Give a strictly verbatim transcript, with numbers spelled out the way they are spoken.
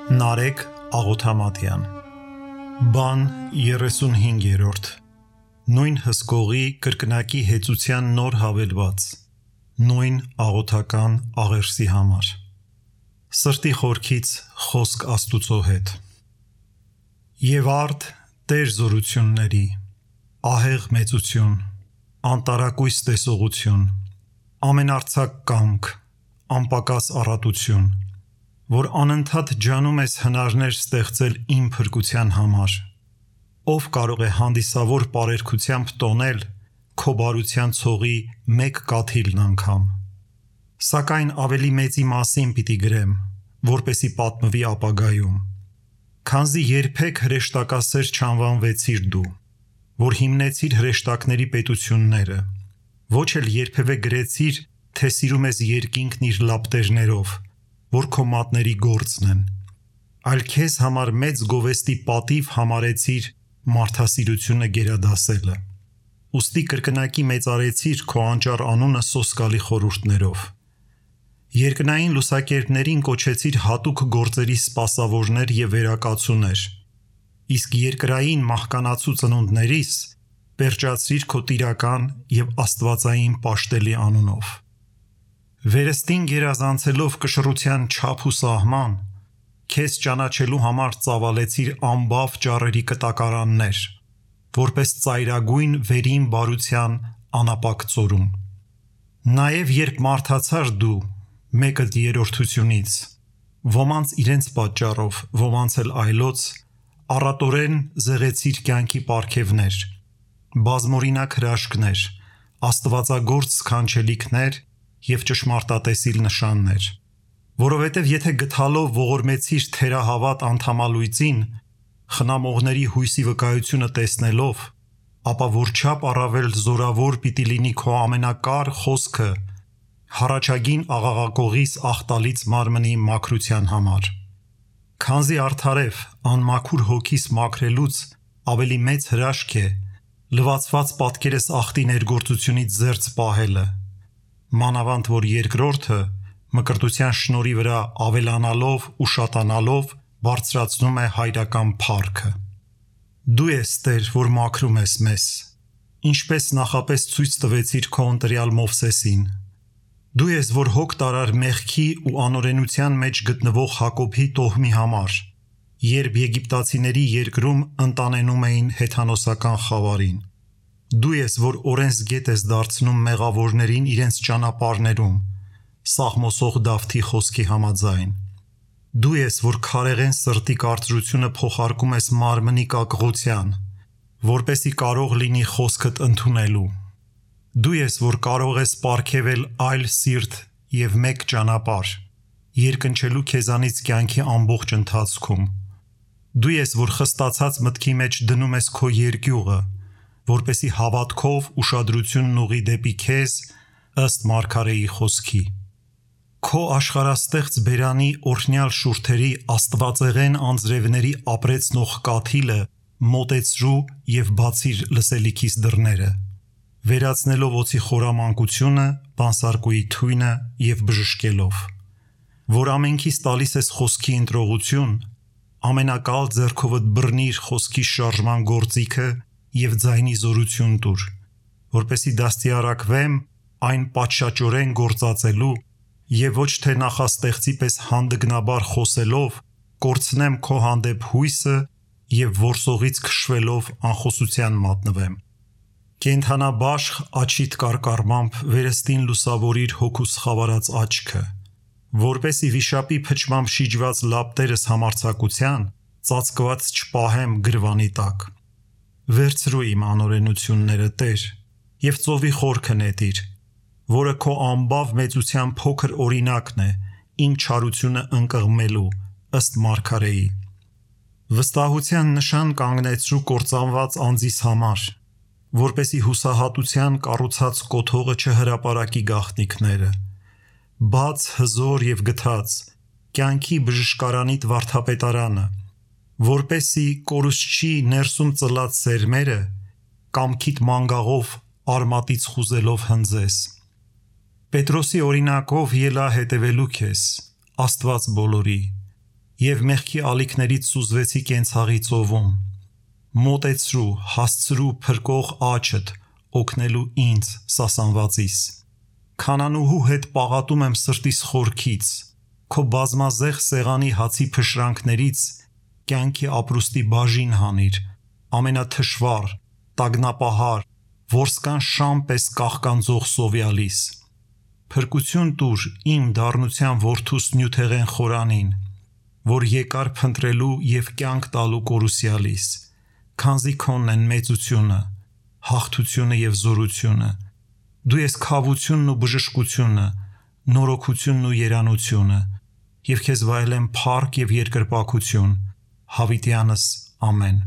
Նարեկ Աղոթամատյան Բան երեսունհինգերորդ Նույն հսկողի կրկնակի հեծության նոր հավելված Նույն աղոթական աղերսի համար Սրտի խորքից խոսք Աստուծո հետ Եվ արդ Տեր զորությունների Ահեղ մեծություն Անտարակույս տեսողություն Ամենարձակ կամք Անպակաս առատություն Որ անընդհատ ջանում ես հնարներ ստեղծել իմ փրկության համար Ով կարող է հանդիսավոր պարերգությամբ տոնել Քո բարության ցողի մեկ կաթիլն անգամ Սակայն ավելի մեծի մասին պիտի գրեմ Որպեսի պատմվի ապագայում Քանզի երբեք հրեշտակասեր չանվանվեցիր դու Որ հիմնեցիր հրեշտակների պետությունները Ոչ էլ երբևէ գրեցիր Թե սիրում ես երկինքն իր լապտերներով Որ քո մատների գործն են Այլ քեզ համար մեծ գովեստի պատիվ համարեցիր Մարդասիրությունը գերադասելը Ուստի կրկնակի մեծարեցիր Քո անճար անունը սոսկալի խորհուրդներով Երկնային լուսակերպներին կոչեցիր հատուկ գործերի սպասավորներ և վերակացուներ Իսկ երկրային մահկանացու ծնունդներիս Պերճացրիր քո տիրական և աստվածային պաշտելի անունով Վերստին գերազանցելով կշռության չափ ու սահման Քեզ ճանաչելու համար ծավալեցիր անբավ ճառերի կտակարաններ Որպես ծայրագույն վերին բարության անապակ ծորում Նաև երբ մարդացար դու մեկդ երրորդությունից Ոմանց իրենց պատճառով, ոմանց էլ այլոց Առատորեն զեղեցիր կյանքի պարգևներ Բազմօրինակ հրաշքներ Աստվածագործ սքանչելիքներ և ճշմարտատեսիլ նշաններ Որովհետև եթե գթալով ողորմեցիր թերահավատ անդամալույծին Խնամողների հույսի վկայությունը տեսնելով Ապա որչափ առավել զորավոր պիտի լինի քո ամենակար խոսքը Հառաջագին աղաղակողիս աղտալից մարմնի մաքրության համար Քանզի արդարև անմաքուր հոգիս մաքրելուց ավելի մեծ հրաշք է Լվացված պատկերս աղտի ներգործությունից զերծ պահելը Մանավանդ որ երկրորդը մկրտության շնորհի վրա ավելանալով ու շատանալով բարձրացնում է հայրական փառքը Դու ես Տեր, որ մաքրում ես մեզ Ինչպես նախապես ցույց տվեցիր քո ընտրյալ Մովսեսին Դու ես, որ հոգ տարար մեղքի ու անօրենության մեջ գտնվող Հակոբի տոհմի համար Երբ եգիպտացիների երկրում ընտանենում էին հեթանոսական խավարին Դու ես, որ օրենսգետ ես դարձնում մեղավորներին իրենց ճանապարհներում Սաղմոսող Դավթի խոսքի համաձայն Դու ես, որ քարեղեն սրտի կարծրությունը փոխարկում ես մարմնի կակղության Որպեսի կարող լինի խոսքդ ընդունելու Դու ես, որ կարող ես պարգևել այլ սիրտ և մեկ ճանապարհ Երկնչելու քեզանից կյանքի ամբողջ ընթացքում Դու ես, որ խստացած մտքի մեջ դնում ես քո երկյուղը Որպեսի հավատքով ուշադրությունն ուղի դեպի քեզ ըստ Մարգարեի խոսքի Քո աշխարհաստեղծ բերանի օրհնյալ շուրթերի աստվածեղեն անձրևների ապրեցնող կաթիլը մոտեցրու և բացիր լսելիքիս դռները Վերացնելով օձի խորամանկությունը, բանսարկուի թույնը և բժշկելով Որ ամենքիս տալիս ես խոսքի ընտրողություն Ամենակալ ձեռքովդ բռնիր խոսքի շարժման գործիքը և ձայնի զորություն տուր Որպեսի դաստիարակվեմ այն պատշաճորեն գործածելու և ոչ թե նախաստեղծի պես հանդգնաբար խոսելով Կորցնեմ քո հանդեպ հույսը և որսողից քշվելով անխոսության մատնվեմ Կենդանաբաշխ աջիդ կարկառմամբ վերստին լուսավորիր հոգուս խավարած աչքը Որպեսի վիշապի փչմամբ շիջված լապտերս համարձակության Ծածկված չպահեմ գրվանի տակ Վերցրու իմ անօրենությունները Տեր և ծովի խորքը նետիր Որը քո անբավ մեծության փոքր օրինակն է Իմ չարությունը ընկղմելու ըստ Մարգարեի Վստահության նշան կանգնեցրու կործանված անձիս համար Որպեսի հուսահատության կառուցած կոթողը չհրապարակի գաղտնիքները Բաց, հզոր և գթած Կյանքի բժշկարանիդ վարդապետարանը Որպեսի կորուստչի ներսում ծլած սերմերը Կամքիդ մանգաղով արմատից խուզելով հնձես Պետրոսի օրինակով ելա հետևելու քեզ, Աստված բոլորի, եւ մեղքի ալիքներից սուզվեցի կենցաղի ծովում։ Մոտեցրու, հասցրու փրկող աչդ, օգնելու ինձ սասանվածիս։ Քանանուհու հետ պաղատում եմ սրտիս խորքից, քո բազմազեղ սեղանի հացի փշրանքներից կյանքի ապրուստի բաժին հանիր, ամենաթշվառ, տագնապահար, որսկան շամ պես կաղկանձող սովյալիս։ Փրկություն տուր իմ դառնության որդուս նյութեղեն խորանին, որ եկար փնտրելու եւ կյանք տալու կորուսյալիս, քանզի քոնն են մեծությունը, հաղթությունը եւ զորությունը։ Դու ես քավությունն ու բժշկությունը, նորոգությունն ու երանությունը, եւ քեզ վայելեմ փառք եւ երկրպագություն, հավիտյանս ամեն։